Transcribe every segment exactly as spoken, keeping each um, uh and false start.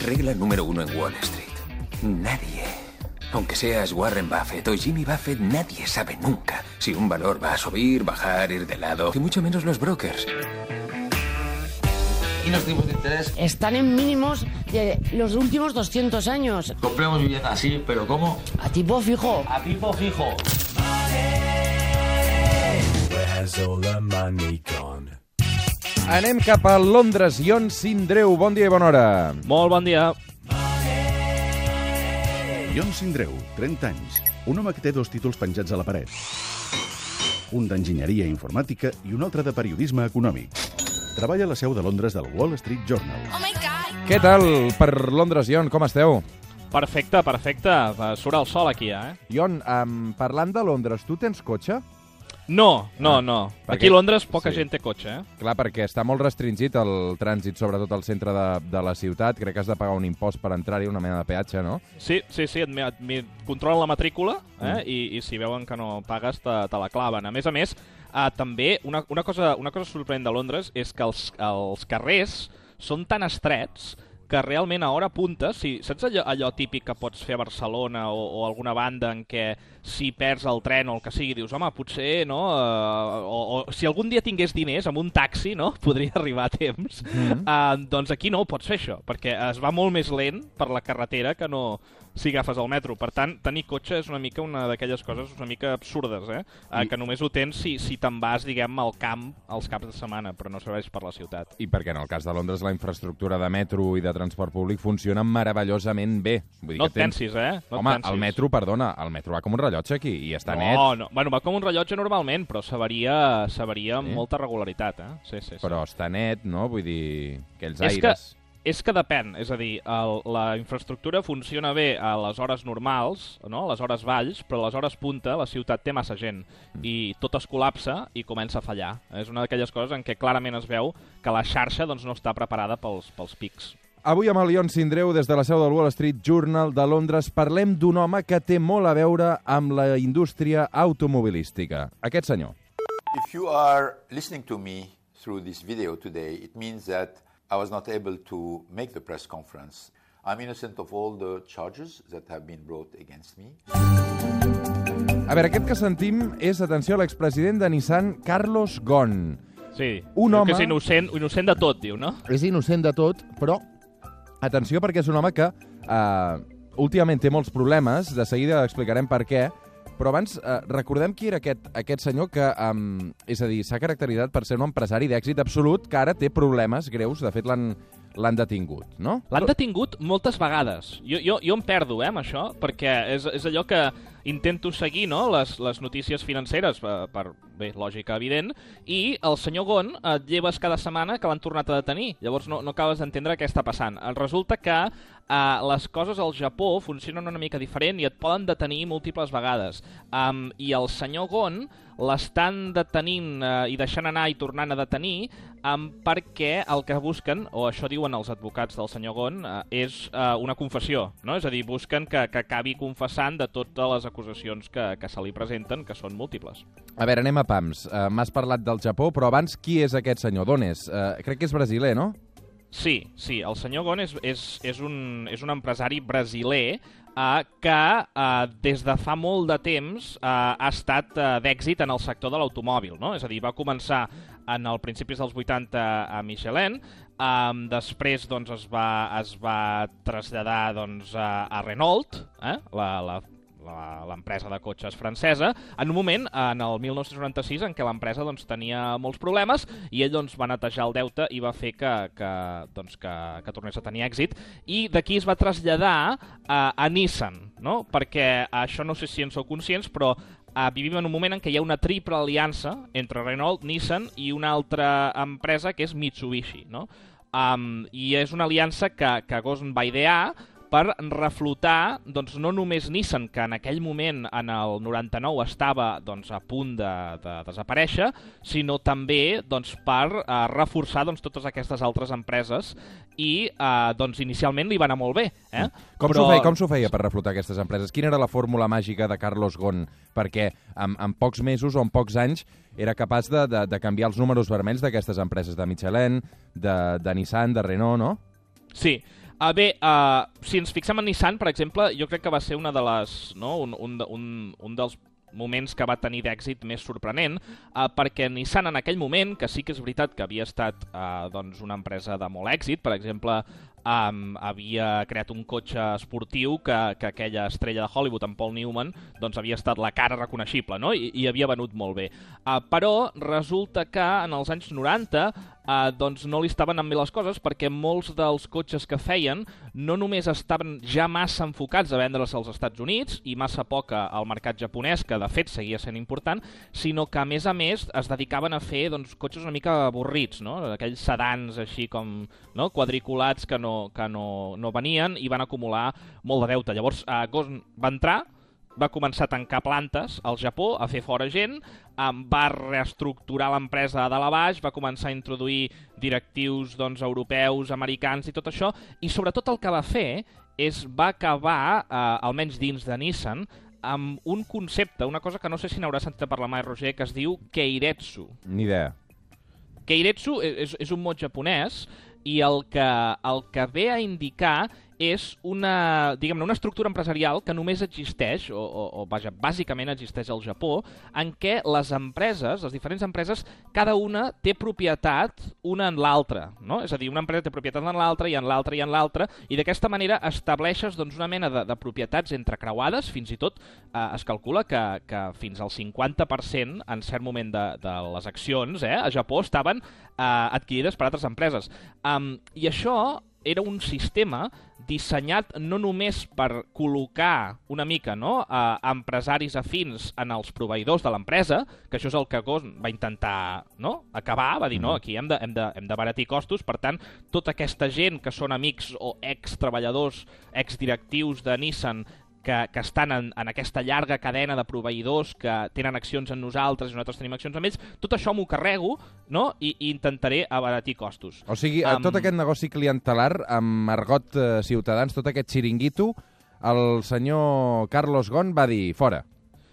Regla número uno en Wall Street. Nadie, aunque seas Warren Buffett o Jimmy Buffett, nadie sabe nunca si un valor va a subir, bajar, ir de lado, y mucho menos los brokers. ¿Y los tipos de interés? Están en mínimos de los últimos doscientos años. Compremos vivienda así, pero ¿cómo? A tipo fijo. A tipo fijo. Anem cap a Londres. Ion Sindreu, bon dia i bona hora. Molt bon dia. Ion Sindreu, trenta anys. Un home que té dos títols penjats a la paret. Un d'enginyeria informàtica i un altre de periodisme econòmic. Treballa a la seu de Londres del Wall Street Journal. Oh my God! Què tal per Londres, Ion? Com esteu? Perfecte, perfecte. Surt el sol aquí, eh? Ion, um, parlant de Londres, tu tens cotxe? No, no, Ah, no. perquè- Aquí a Londres poca sí. gent té cotxe, eh? Clar, perquè està molt restringit el trànsit, sobretot al centre de, de la ciutat. Crec que has de pagar un impost per entrar-hi, una mena de peatge, no? Sí, sí, sí, et, et, et controlen la matrícula eh? Mm. I, i si veuen que no pagues te, te la claven. A més a més, eh, també una, una, cosa, una cosa sorprenent de Londres és que els, els carrers són tan estrets que realment a hora punta, si, saps allò, allò típic que pots fer a Barcelona o, o alguna banda en què si perds el tren o el que sigui, dius, home, potser, no? Uh, o, o si algun dia tingués diners amb un taxi, no? Podria arribar a temps. Mm-hmm. uh, doncs aquí no pots fer això, perquè es va molt més lent per la carretera que no si agafes el metro. Per tant, tenir cotxe és una mica una d'aquelles coses una mica absurdes, eh? Uh, que només ho tens si, si te'n vas, diguem, al camp als caps de setmana, però no serveix per la ciutat. I perquè en el cas de Londres la infraestructura de metro i de transport públic funciona meravellosament bé. Vull dir No que et tens... pensis, eh? No Home, et pensis. el metro, perdona, el metro va com un rellotge aquí i està net. No, no. Bueno, va com un rellotge normalment, però s'avaria s'avaria amb Sí? molta regularitat, eh? Sí, sí, sí. Però està net, no? Vull dir, aquells És que, aires... és que depèn, és a dir, el, la infraestructura funciona bé a les hores normals, no? A les hores valls, però a les hores punta la ciutat té massa gent i tot es col·lapsa i comença a fallar. És una d'aquelles coses en què clarament es veu que la xarxa doncs, no està preparada pels, pels pics. Avui amb el Ion Sindreu, des de la seu del Wall Street Journal de Londres, parlem d'un home que té molt a veure amb la indústria automobilística. Aquest senyor. If you are listening to me through this video today, it means that I was not able to make the press conference. I'm innocent of all the charges that have been brought against me. A veure, aquest que sentim és, atenció, l'expresident de Nissan, Carlos Ghosn. Sí, Un diu home- que és innocent, innocent de tot, diu, no? És innocent de tot, però atenció perquè és un home que eh, últimament té molts problemes, de seguida explicarem per què, però abans eh, recordem qui era aquest, aquest senyor que, um, és a dir, s'ha caracteritzat per ser un empresari d'èxit absolut que ara té problemes greus, de fet l'han l'han detingut, no? L'han detingut moltes vegades. Jo, jo, jo em perdo, eh, amb això, perquè és, és allò que intento seguir, no?, les, les notícies financeres, per, per bé, lògica evident, i el senyor Ghosn et lleves cada setmana que l'han tornat a detenir. Llavors no, no acabes d'entendre què està passant. Resulta que eh, les coses al Japó funcionen una mica diferent i et poden detenir múltiples vegades. Um, I el senyor Ghosn l'estan detenint eh, i deixant anar i tornant a detenir um, perquè el que busquen, o això diuen els advocats del senyor Ghosn, eh, és eh, una confessió, no? És a dir, busquen que, que acabi confessant de totes les acusacions que, que se li presenten, que són múltiples. A veure, anem a pams. Uh, M'has parlat del Japó, però abans qui és aquest senyor? D'on és? Uh, crec que és brasiler, no? Sí, sí, el senyor Ghosn és, és, és, un, és un empresari brasiler eh, que eh, des de fa molt de temps eh, ha estat eh, d'èxit en el sector de l'automòbil, no? És a dir, va començar en els principis dels vuitanta a Michelin, eh, després doncs, es, va, es va traslladar doncs, a, a Renault, eh? la, la l'empresa de cotxes francesa, en un moment, en el mil nou-cents noranta-sis, en què l'empresa doncs, tenia molts problemes i ell doncs, va netejar el deute i va fer que, que, doncs, que, que tornés a tenir èxit. I d'aquí es va traslladar a, a Nissan, no? Perquè això no sé si en sou conscients, però Uh, vivim en un moment en què hi ha una triple aliança entre Renault, Nissan i una altra empresa que és Mitsubishi, no? Um, I és una aliança que, que Ghosn va idear per reflotar doncs, no només Nissan, que en aquell moment, en el noranta-nou, estava doncs, a punt de, de desaparèixer, sinó també doncs, per uh, reforçar doncs, totes aquestes altres empreses i uh, doncs, inicialment li va anar molt bé. Eh? Com Però... s'ho feia, com s'ho feia per reflotar aquestes empreses? Quina era la fórmula màgica de Carlos Ghosn? Perquè en, en pocs mesos o en pocs anys era capaç de, de, de canviar els números vermells d'aquestes empreses de Michelin, de, de Nissan, de Renault, no? Sí. Uh, bé, uh, si ens fixem en Nissan, per exemple, jo crec que va ser una de les, no? un, un, un, un dels moments que va tenir d'èxit més sorprenent, uh, perquè Nissan en aquell moment, que sí que és veritat que havia estat uh, doncs una empresa de molt èxit, per exemple, um, havia creat un cotxe esportiu que, que aquella estrella de Hollywood, en Paul Newman, doncs havia estat la cara reconeixible, no? I, i havia venut molt bé. Uh, però resulta que en els anys noranta Uh, doncs no li estaven anant bé les coses, perquè molts dels cotxes que feien no només estaven ja massa enfocats a vendre's als Estats Units i massa poca al mercat japonès, que de fet seguia sent important, sinó que a més a més es dedicaven a fer doncs, cotxes una mica avorrits, no? Aquells sedans així com no? quadriculats que, no, que no, no venien i van acumular molt de deute. Llavors uh, Ghosn va entrar, va començar a tancar plantes al Japó, a fer fora gent, um, va reestructurar l'empresa de dalt a baix, va començar a introduir directius doncs, europeus, americans i tot això, i sobretot el que va fer és va acabar, uh, almenys dins de Nissan, amb un concepte, una cosa que no sé si n'hauràs sentit parlar mai, Roger, que es diu Keiretsu. Ni idea. Keiretsu és, és un mot japonès i el que, el que ve a indicar és una, diguem-ne, una estructura empresarial que només existeix, o, o, o vaja, bàsicament existeix al Japó, en què les empreses, les diferents empreses, cada una té propietat una en l'altra, no? És a dir, una empresa té propietat en l'altra i en l'altra i en l'altra, i d'aquesta manera estableixes doncs, una mena de, de propietats entrecreuades, fins i tot eh, es calcula que, que fins al cinquanta per cent en cert moment de, de les accions eh, a Japó estaven eh, adquirides per altres empreses. Um, I això era un sistema dissenyat no només per col·locar una mica no, a empresaris afins en els proveïdors de l'empresa, que això és el que Ghosn va intentar no, acabar, va dir, no, aquí hem de, hem de, hem d'abaratir costos, per tant, tota aquesta gent que són amics o ex-treballadors, ex-directius de Nissan, que, que estan en, en aquesta llarga cadena de proveïdors que tenen accions en nosaltres i nosaltres tenim accions amb ells, tot això m'ho carrego no? I, i intentaré abaratir costos. O sigui, um... tot aquest negoci clientelar amb argot eh, ciutadans, tot aquest xiringuito, el senyor Carlos Ghosn va dir fora.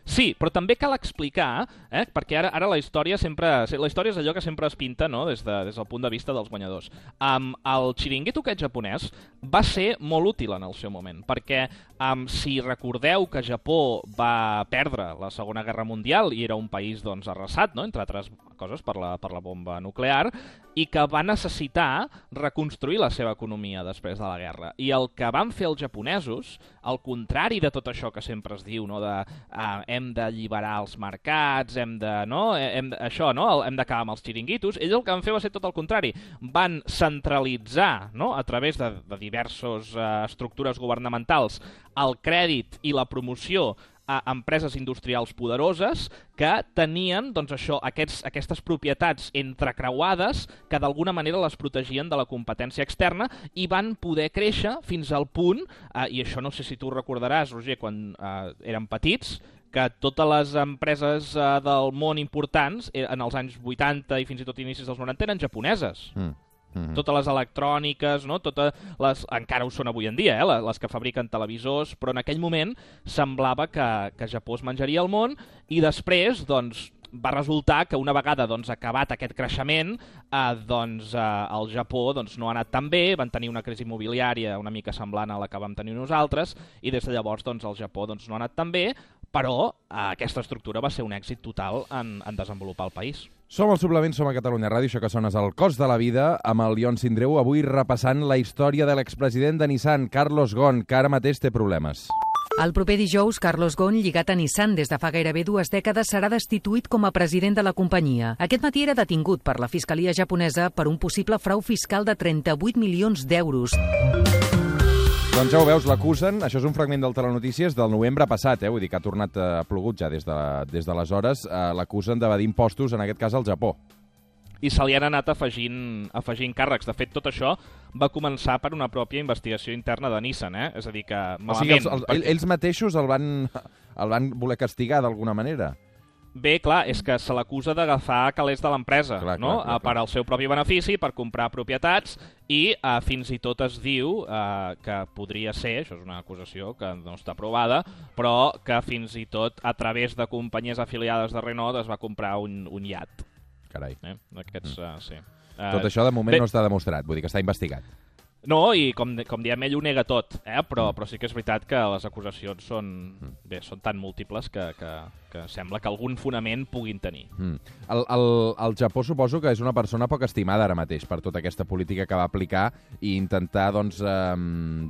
Sí, però també cal explicar, eh, perquè ara, ara la història sempre, la història és allò que sempre es pinta no, des, de, des del punt de vista dels guanyadors. Um, el xiringuito aquest japonès va ser molt útil en el seu moment, perquè um, si recordeu que Japó va perdre la Segona Guerra Mundial i era un país doncs, arrasat, no, entre altres coses, per la, per la bomba nuclear, i que va necessitar reconstruir la seva economia després de la guerra. I el que van fer els japonesos, al contrari de tot això que sempre es diu, no, de uh, hem d'alliberar els mercats, hem de, no, hem de, això, no, hem d'acabar amb els xiringuitos, ells el que van fer va ser tot el contrari. Van centralitzar, no, a través de, de diverses uh, estructures governamentals, el crèdit i la promoció a empreses industrials poderoses que tenien doncs, això, aquests, aquestes propietats entrecreuades que d'alguna manera les protegien de la competència externa i van poder créixer fins al punt, eh, i això no sé si tu recordaràs, Roger, quan eh, érem petits, que totes les empreses eh, del món importants eh, en els anys vuitanta i fins i tot inicis dels noranta eren japoneses. Mm. Mm-hmm. Totes les electròniques, no? Totes les, encara ho són avui en dia, eh? les que fabriquen televisors, però en aquell moment semblava que, que Japó es menjaria el món i després doncs, va resultar que una vegada doncs, acabat aquest creixement, eh, doncs, eh, el Japó doncs, no ha anat tan bé, van tenir una crisi immobiliària una mica semblant a la que vam tenir nosaltres i des de llavors doncs, el Japó doncs, no ha anat tan bé, però eh, aquesta estructura va ser un èxit total en, en desenvolupar el país. Som al Suplement, som a Catalunya Ràdio, això que sona és el Cost de la Vida, amb el Ion Sindreu, avui repassant la història de l'expresident de Nissan, Carlos Ghosn, que ara mateix té problemes. El proper dijous, Carlos Ghosn, lligat a Nissan des de fa gairebé dues dècades, serà destituït com a president de la companyia. Aquest matí era detingut per la Fiscalia japonesa per un possible frau fiscal de trenta-vuit milions d'euros. Doncs ja ho veus, l'acusen, això és un fragment del Telenotícies del novembre passat, eh? Vull dir que ha tornat a plogut ja des de, des d'aleshores, eh, l'acusen d'evadir impostos, en aquest cas al Japó. I se li han anat afegint, afegint càrrecs. De fet, tot això va començar per una pròpia investigació interna de Nissan, eh? És a dir, que malament... O sigui, els, els, perquè... ells mateixos el van, el van voler castigar d'alguna manera? Bé, clar, és que se l'acusa d'agafar calés de l'empresa, no? Clar, clar, clar. Per al seu propi benefici, per comprar propietats, i uh, fins i tot es diu uh, que podria ser, això és una acusació que no està provada, però que fins i tot a través de companyies afiliades de Renault es va comprar un, un iat. Carai. Eh? Aquests, uh, sí. Uh, tot això de moment bé, no està demostrat, vull dir que està investigat. No, i com, com diem, ell ho nega tot, eh? però, però sí que és veritat que les acusacions són, bé, són tan múltiples que, que, que sembla que algun fonament puguin tenir. Mm. El, el, el Japó suposo que és una persona poc estimada ara mateix per tota aquesta política que va aplicar i intentar doncs, eh,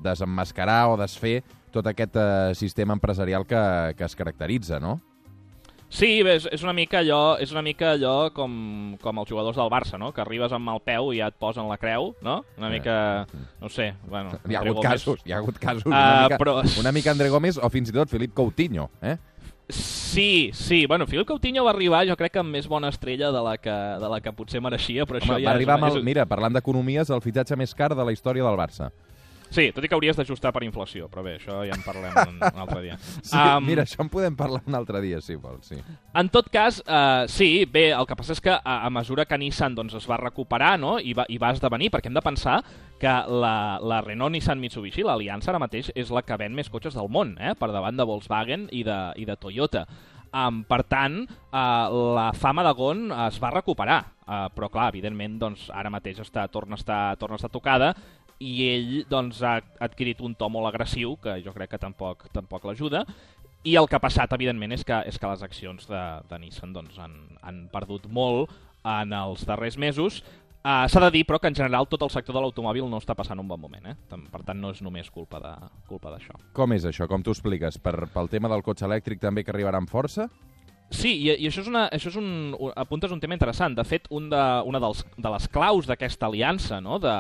desemmascarar o desfer tot aquest eh, sistema empresarial que, que es caracteritza, no? Sí, bé, és una mica allò, és una mica allò com, com els jugadors del Barça, no? Que arribes amb el peu i ja et posen la creu, no? Una mica, no sé... Bueno, hi ha hagut Gómez... casos, hi ha hagut casos. Uh, una, mica, però... una mica André Gómez o fins i tot Felip Coutinho, eh? Sí, sí. Bueno, Felip Coutinho va arribar, jo crec que amb més bona estrella de la que, de la que potser mereixia, però Home, això ja... Va arribar és... amb el, mira, parlant d'economies, el fitxatge més car de la història del Barça. Sí, tot i que hauries d'ajustar per inflació, però bé, això ja en parlem un, un altre dia. Sí, um, mira, això en podem parlar un altre dia, si vols, sí. En tot cas, uh, sí, bé, el que passa és que a, a mesura que Nissan doncs, es va recuperar, no?, i va, i va esdevenir, perquè hem de pensar que la, la Renault-Nissan-Mitsubishi, l'aliança ara mateix, és la que ven més cotxes del món, eh?, per davant de Volkswagen i de, i de Toyota. Um, per tant, uh, la fama de Ghosn es va recuperar, uh, però clar, evidentment, doncs, ara mateix està, torna, a estar, torna a estar tocada, i ell doncs, ha adquirit un to molt agressiu, que jo crec que tampoc, tampoc l'ajuda, i el que ha passat, evidentment, és que, és que les accions de, de Nissan doncs, han, han perdut molt en els darrers mesos. Uh, S'ha de dir, però, que en general tot el sector de l'automòbil no està passant un bon moment. Eh? Per tant, no és només culpa de, culpa d'això. Com és això? Com t'ho expliques? Per, pel tema del cotxe elèctric també que arribarà amb força? Sí, i, i això és, una, això és un, un, apuntes un tema interessant. De fet, un de, una dels, de les claus d'aquesta aliança, no?, de,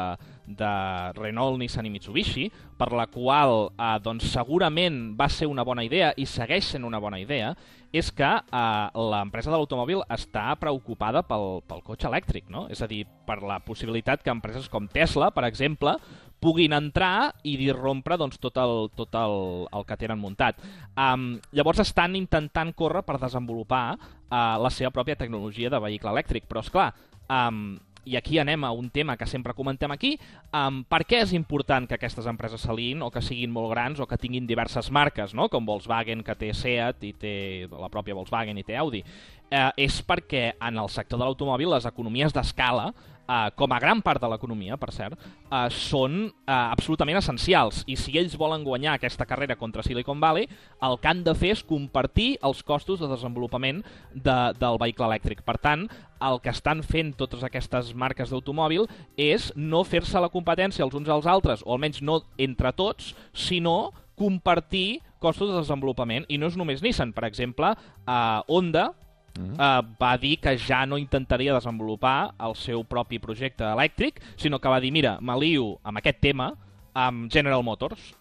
de Renault, Nissan i Mitsubishi, per la qual eh, doncs, segurament va ser una bona idea i segueix sent una bona idea, és que eh, l'empresa de l'automòbil està preocupada pel, pel cotxe elèctric, no? És a dir, per la possibilitat que empreses com Tesla, per exemple, puguin entrar i disrompre doncs, tot, el, tot el, el que tenen muntat. Um, llavors estan intentant córrer per desenvolupar uh, la seva pròpia tecnologia de vehicle elèctric, però esclar, um, i aquí anem a un tema que sempre comentem aquí, um, per què és important que aquestes empreses s'aliïn o que siguin molt grans o que tinguin diverses marques, no?, com Volkswagen, que té Seat i té la pròpia Volkswagen i té Audi? Uh, és perquè en el sector de l'automòbil les economies d'escala, Uh, com a gran part de l'economia, per cert, uh, són uh, absolutament essencials. I si ells volen guanyar aquesta carrera contra Silicon Valley, el que han de fer és compartir els costos de desenvolupament de, del vehicle elèctric. Per tant, el que estan fent totes aquestes marques d'automòbil és no fer-se la competència els uns als altres, o almenys no entre tots, sinó compartir costos de desenvolupament. I no és només Nissan. Per exemple, uh, Honda, Uh, va dir que ja no intentaria desenvolupar el seu propi projecte elèctric, sinó que va dir, mira, m'alio amb aquest tema amb General Motors,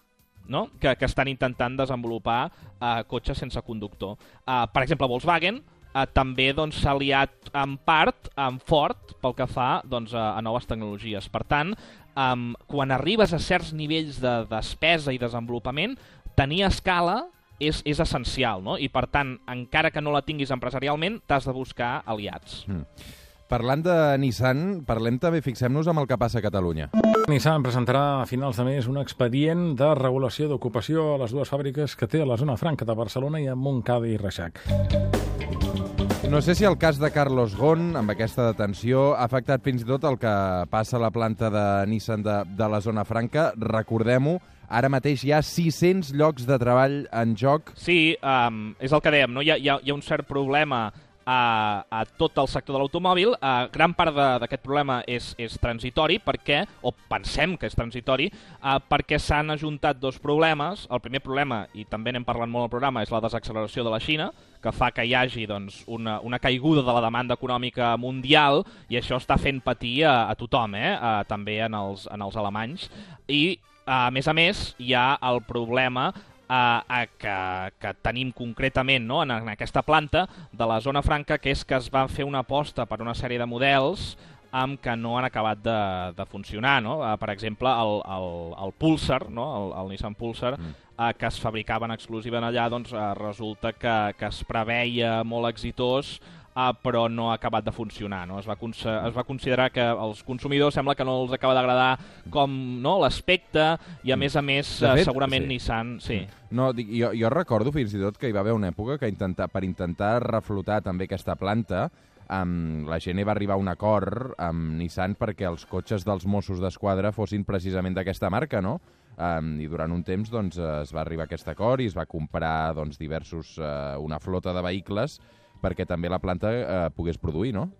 no?, que, que estan intentant desenvolupar uh, cotxes sense conductor. Uh, per exemple, Volkswagen uh, també doncs, s'ha aliat en part amb Ford pel que fa doncs, a, a noves tecnologies. Per tant, um, quan arribes a certs nivells de despesa i desenvolupament, tenir escala És, és essencial, no? I per tant, encara que no la tinguis empresarialment, t'has de buscar aliats. Mm. Parlant de Nissan, parlem també, fixem-nos amb el que passa a Catalunya. Nissan presentarà a finals de mes un expedient de regulació d'ocupació a les dues fàbriques que té a la zona franca de Barcelona i a Montcada i Reixac. No sé si el cas de Carlos Ghosn, amb aquesta detenció, ha afectat fins i tot el que passa a la planta de Nissan de, de la zona franca. Recordem-ho, ara mateix hi ha sis-cents llocs de treball en joc. Sí, um, és el que dèiem, no? Hi ha, hi ha, hi ha un cert problema a, a tot el sector de l'automòbil. Uh, gran part d'aquest problema és, és transitori, perquè, o pensem que és transitori, uh, perquè s'han ajuntat dos problemes. El primer problema, i també n'hem parlat molt al programa, és la desacceleració de la Xina, que fa que hi hagi doncs, una, una caiguda de la demanda econòmica mundial, i això està fent patir a, a tothom, eh? uh, també en els, en els alemanys. I a més a més, hi ha el problema eh, que, que tenim concretament, no?, en, en aquesta planta de la zona franca, que és que es va fer una aposta per una sèrie de models amb que no han acabat de, de funcionar, no? Eh, per exemple, el, el, el Pulsar, no?, el, el Nissan Pulsar, mm. eh, que es fabricaven exclusiva allà, doncs eh, resulta que, que es preveia molt exitós, Uh, però no ha acabat de funcionar, no? Es va, es va considerar que als consumidors sembla que no els acaba d'agradar com, no?, l'aspecte, i a més a més uh, fet, segurament sí. Nissan... Sí. No, dic, jo, jo recordo fins i tot que hi va haver una època que intenta, per intentar reflotar també aquesta planta, um, la G N va arribar a un acord amb Nissan perquè els cotxes dels Mossos d'Esquadra fossin precisament d'aquesta marca, no? Um, I durant un temps doncs, es va arribar a aquest acord i es va comprar doncs, diversos, uh, una flota de vehicles perquè també la planta uh, pogués produir, no?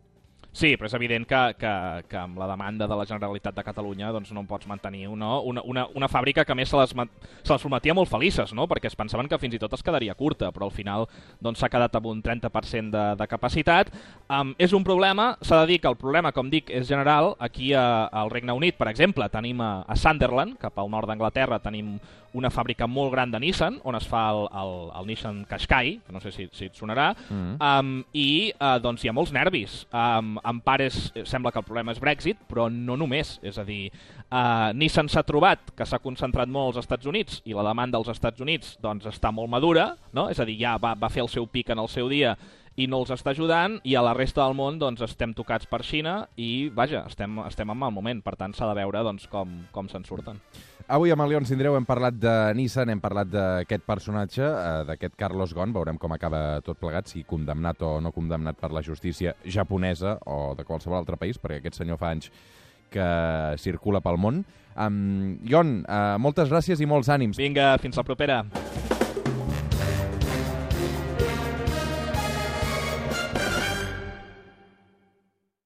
Sí, però és evident que, que, que amb la demanda de la Generalitat de Catalunya doncs no pots mantenir una, una, una, una fàbrica que a més se les, se les prometia molt felices, no? Perquè es pensaven que fins i tot es quedaria curta, però al final doncs, s'ha quedat amb un trenta per cent de, de capacitat. Um, és un problema, s'ha de dir que el problema, com dic, és general. Aquí a, al Regne Unit, per exemple, tenim a, a Sunderland, cap al nord d'Anglaterra, tenim una fàbrica molt gran de Nissan, on es fa el, el, el Nissan Qashqai, que no sé si, si et sonarà, mm. um, i uh, doncs hi ha molts nervis. Um, en part és, sembla que el problema és Brexit, però no només. És a dir, uh, Nissan s'ha trobat que s'ha concentrat molt als Estats Units i la demanda als Estats Units doncs, està molt madura, no? És a dir, ja va, va fer el seu pic en el seu dia i no els està ajudant, i a la resta del món doncs, estem tocats per Xina i, vaja, estem, estem en mal moment. Per tant, s'ha de veure doncs, com, com se'n surten. Avui amb el León Sindreu hem parlat de Nissan, hem parlat d'aquest personatge, eh, d'aquest Carlos Ghosn. Veurem com acaba tot plegat, si condemnat o no condemnat per la justícia japonesa o de qualsevol altre país, perquè aquest senyor fa anys que circula pel món. Um, Jon, uh, moltes gràcies i molts ànims. Vinga, fins la propera.